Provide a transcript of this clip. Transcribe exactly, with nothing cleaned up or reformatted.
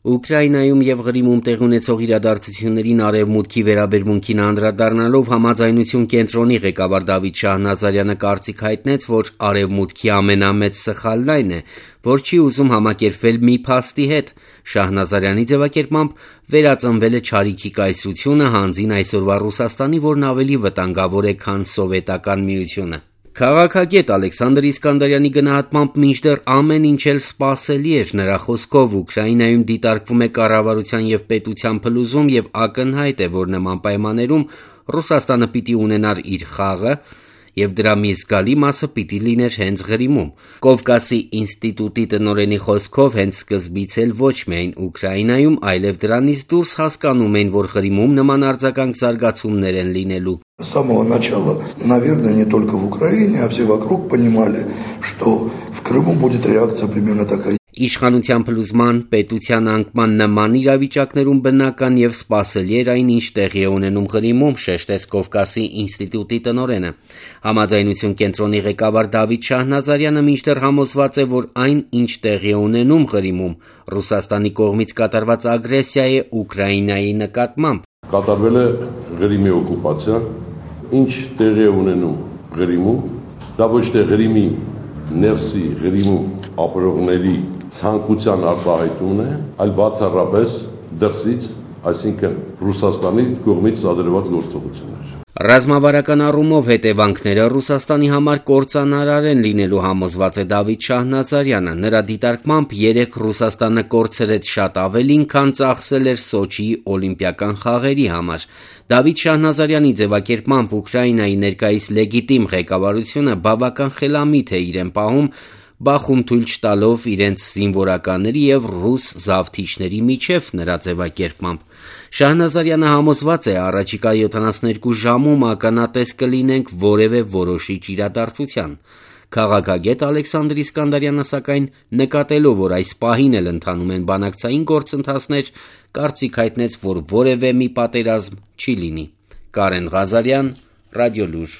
Ուկրաինայում և Ղրիմում տեղի ունեցող իրադարձություններին Արևմուտքի վերաբերմունքին անդրադառնալով համաձայնություն կենտրոնի ղեկավար Դավիթ Շահնազարյանը կարծիք հայտնեց, որ Արևմուտքի ամենամեծ սխալն այն է, որ չի ուզում համակերպվել մի փաստի հետ։ Շահնազարյանի ձևակերպմամբ՝ վերածնվել է չարիքի կայսրությունը հանձին այսօրվա Ռուսաստանի, որն ավելի վտանգավոր է, քան Սովետական Միությունը։ Քաղաքագետ Ալեքսանդր Իսկանդարյանի գնահատմամբ մինչդեռ ամեն ինչ էլ սպասելի էր։ Նրա խոսքով Ուկրաինայում դիտարկվում է կառավարության և պետության փլուզում և ակնհայտ է, որ նման պայմաններում Ռուսաստանը պիտի ունենար իր խաղը և դրա մի զգալի մասը պիտի լիներ հենց Ղրիմում։ Կովկասի ինստիտուտի տնօրենի խոսքով հենց սկզբից էլ ոչ միայն Ուկրաինայում, այլև դրանից դուրս հասկանում էին, որ Ղրիմում նման արձագանք զարգացումներ են լինելու։ С самого начала, наверное, не только в Украине, а все вокруг понимали, что в Крыму будет реакция примерно такая. Իշխանության փլուզման, պետության անկման նման իրավիճակներում բնական և սպասելի էր այն, ինչ տեղի է ունենում Ղրիմում, շեշտեց Կովկասի ինստիտուտի տնօրենը։ Համաձայնություն կենտրոնի ղեկավար Դավիթ Շահնազարյանը մինչդեռ համոզված է, որ այն, ինչ տեղի է ունենում Ղրիմում, Ռուսաստանի կողմից կատարված ագրեսիա է Ուկրաինայի նկատմամբ։ Կատարվել է Ղրիմի օկուպացիա, ինչ տեղի է ունենում Ղրիմում, դա ոչ թե Ղրիմի ներսի, Ղրիմում ապրողների ցանկության արտահայտումն է, այլ բացառապես դրսից, այսինքն Ռուսաստանի կողմից սադրված գործողություններ։ Ռազմավարական առումով հետևանքները Ռուսաստանի համար կործանարար են լինելու, համոզված է Դավիթ Շահնազարյանը։ Նրա դիտարկմամբ երեկ Ռուսաստանը կորցրեց շատ ավելին, քան ծախսել էր Սոչիի օլիմպիական խաղերի համար։ Դավիթ Շահնազարյանի ձևակերպմամբ Ուկրաինայի ներկայիս լեգիտիմ ղեկավարությունը բավական խելամիտ է իրեն պահում, բախում թույլ չտալով իրենց զինվորականների և ռուս զավթիչների միջև։ Նրա ձևակերպմամբ Շահնազարյանը համոզված է, առաջիկա յոթանասունհինգ ժամում ականատես կլինենք որևէ որոշիչ իրադարձության։ Քաղաքագետ Ալեքսանդր Իսկանդարյանը, սակայն, նկատելով, որ այս պահին էլ ընթանում են բանակցային գործընթացներ, կարծիք հայտնեց, որ որևէ մի պատերազմ չի լինի։ Կարեն Ղազարյան, Ռադիոլուր։